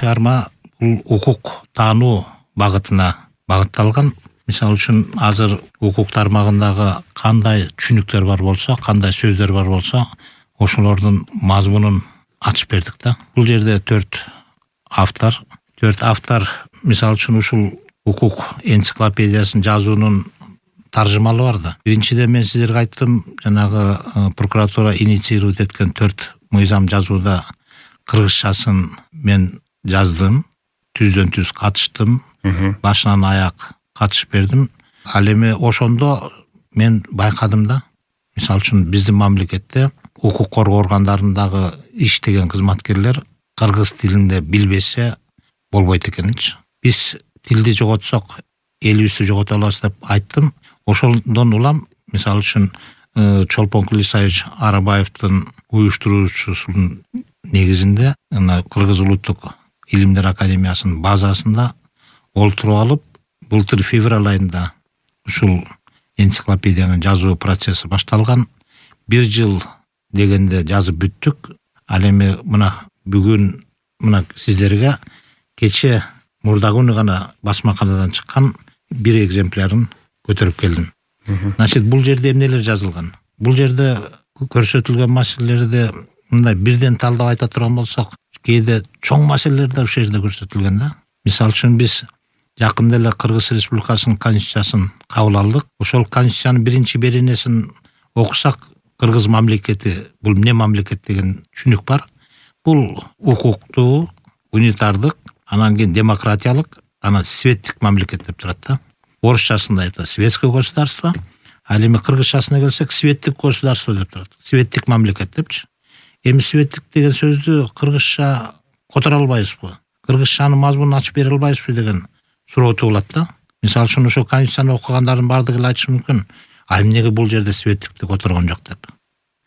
чыгарма бул укук таануу багытына багытталган. Мисалы үчүн азыр укук тармагындагы кандай түшүнүктөр бар болсо, кандай сөздөр бар болсо, ошолордун мазмунун ачып бердик да. Бул жерде 4 автор мисалы үчүн ушул укук энциклопедиясын жазуунун таржымалы бар да. Биринчиден мен сиздерге айттым, жанагы прокуратура инициировать эткен 4 мыйзам жазууда кыргызчасын мен жаздым, түздөн түз катыштым, башынан аяк катышып бердим. Ал эми ошондо мен байкадым да, мисалы үчүн биздин мамлекетте укук коргоо органдарындагы иштеген кызматкерлер кыргыз тилинде билбесе болбойт экенинчи. Биз тилди жоготсок, элибизди жогото алабыз деп айттым. Ошондон улам, мисалы үчүн Чолпон Кулисаевич Арабаевдин уюштуруучусунун негизинде Кыргыз улуттук илимдер академиясынын базасында олтуруп алып, былтыр февраль айында ушул энциклопедиянын жазуу процесси башталган. 1 жыл дегенде жазып бүттүк. Ал эми мына бүгүн сиздерге кече мурдагы гана басмаканадан чыккан 1 экземплярын көтөрүп келдим. Значит, бул жерде эмнелер жазылган? Бул жерде көрсөтүлгөн маселелерди мындай бирден талдап айта турган болсок, кээде чоң маселелер да ушул жерде көрсөтүлгөн да. Мисалы үчүн биз жакында эле Кыргыз Республикасынын конституциясын кабыл алдык. Ошол конституциянын 1 беренесин окусак, Кыргыз мамлекети бул эмне мамлекет деген түшүнүк бар. Бул укуктуу, унитардык, анан кийин демократиялык, анан светтик мамлекет деп турат да. Орусчасында айта светское государство, ал эми кыргызчасына келсек светтик государство деп турат. Светтик мамлекет депчи. Эми светтик деген сөздү кыргызча которо албайбызбы? Кыргызчанын мазмунун ачып бере албайбызбы деген суроо туулат да. Мисалы үчүн ошо конституцияны окугандардын бардыгы эле айтышы мүмкүн, а эмнеге бул жерде светтикти которгон жок деп.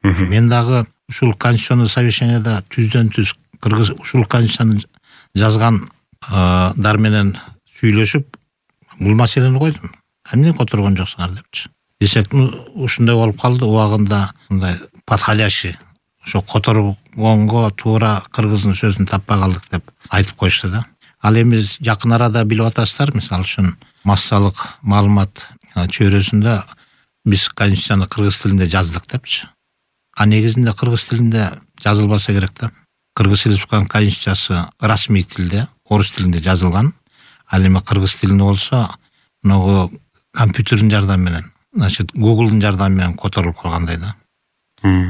Мен дагы ушул конституционный совещанияда түздөн түз кыргыз ушул конституцияны жазгандар менен сүйлөшүп, бул маселени койдум. Эмне которгон жоксуңар депчи. Десек, ушундай болуп калды, убагында мындай подходящий, ошо которгонго туура кыргыздын сөзүн таппай калдык деп айтып коюшту да. Ал эми жакын арада билип атасыздар, мисалы үчүн массалык маалымат чөйрөсүндө биз конституцияны кыргыз тилинде жаздык депчи. А негизинде кыргыз тилинде жазылбаса керек да. Кыргыз Республикасынын конституциясы расмий тилде, орус тилинде жазылган. Ал эми кыргыз тилинде болсо, могу компьютердин жардамы менен, значит, Google'дун жардамы менен которулуп калгандай да.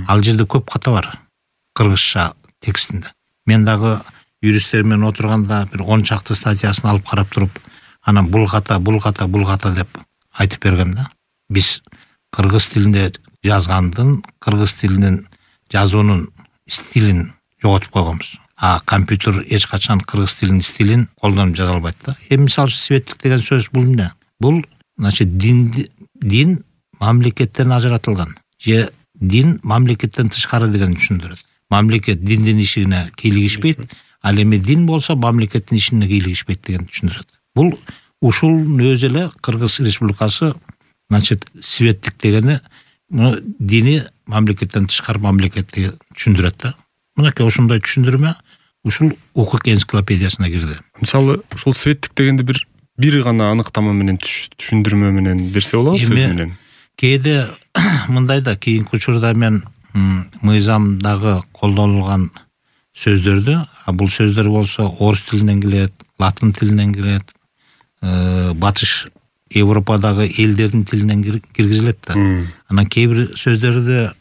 Ал жерде көп ката бар кыргызча текстинде. Мен дагы юристтер менен отурганда бир 10 чакты статьясын алып карап туруп, анан бул ката деп айтып берген да. Биз кыргыз тилинде жазгандын, кыргыз тилинин жазуунун стилин жоготуп койгонбуз. А компьютер эч качан кыргыз тилинин стилин колдонуп жаза албайт да. Мисалы светтик деген сөз бул эмне? Бул, значит, дин мамлекеттен ажыратылган. Же дин мамлекеттен тышкары деген түшүндүрөт. Мамлекет диндин ишине кийлигишпейт, ал эми дин болсо мамлекеттин ишине кийлигишпейт деген түшүндүрөт. Бул ушул өзү эле Кыргыз Республикасы, значит, светтик дегени дини мамлекеттен тышкары мамлекет деген түшүндүрөт да. Мынакей ошондой түшүндүрмө ушул укук энциклопедиясына кирди. Мисалы, ушул светтик дегенди бир гана аныктама менен түшүндүрмө менен берсе болобу сөз менен? Кээде мындай да, кийинки учурда мен мыйзамдагы колдонулган сөздөрдү, бул сөздөр болсо орус тилинен келет, латын тилинен келет, батыш Европадагы элдердин тилинен киргизилет да. Анан кээ бир сөздөрдү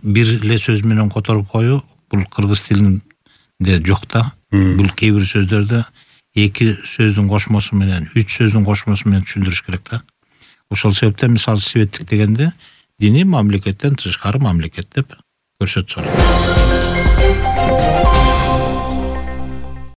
бир эле сөз менен которуп коюу бул кыргыз тилинде жок да. Бул кээ бир сөздөрдү 2 сөздүн кошмосу менен, 3 сөздүн кошмосу менен түшүндүрүш керек да. Ошол себептен мисалы светтик дегенде дини мамлекеттен тышкары мамлекет деп көрсөтсө болот.